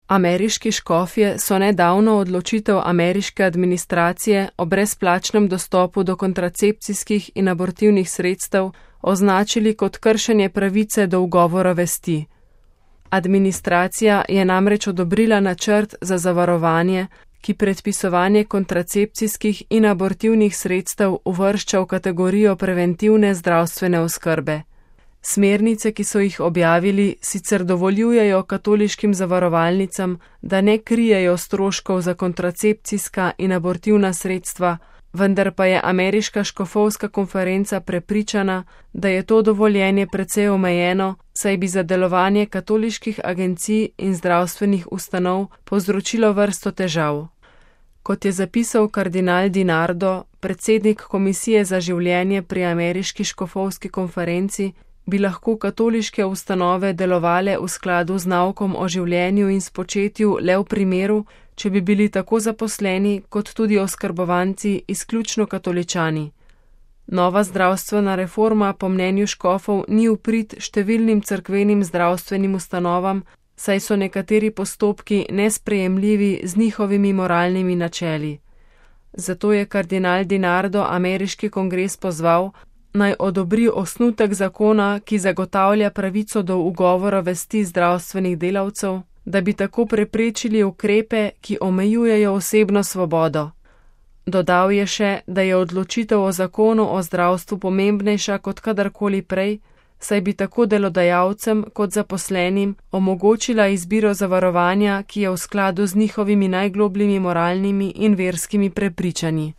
Ameriški škofje so nedavno odločitev ameriške administracije o brezplačnem dostopu do kontracepcijskih in abortivnih sredstev označili kot kršenje pravice do ugovora vesti. Administracija je namreč odobrila načrt za zavarovanje, ki predpisovanje kontracepcijskih in abortivnih sredstev uvršča v kategorijo preventivne zdravstvene oskrbe. Smernice, ki so jih objavili, sicer dovoljujejo katoliškim zavarovalnicam, da ne krijejo stroškov za kontracepcijska in abortivna sredstva, vendar pa je ameriška škofovska konferenca prepričana, da je to dovoljenje precej omejeno, saj bi za delovanje katoliških agencij in zdravstvenih ustanov povzročilo vrsto težav. Kot je zapisal kardinal DiNardo, predsednik Komisije za življenje pri ameriški škofovski konferenci, bi lahko katoliške ustanove delovale v skladu z naukom o življenju in spočetju le v primeru, če bi bili tako zaposleni kot tudi oskrbovanci izključno katoličani. Nova zdravstvena reforma po mnenju škofov ni v prid številnim cerkvenim zdravstvenim ustanovam, saj so nekateri postopki nesprejemljivi z njihovimi moralnimi načeli. Zato je kardinal DiNardo ameriški kongres pozval, naj odobri osnutek zakona, ki zagotavlja pravico do ugovora vesti zdravstvenih delavcev, da bi tako preprečili ukrepe, ki omejujejo osebno svobodo. Dodal je še, da je odločitev o zakonu o zdravstvu pomembnejša kot kadarkoli prej, saj bi tako delodajalcem kot zaposlenim omogočila izbiro zavarovanja, ki je v skladu z njihovimi najglobljimi moralnimi in verskimi prepričanji.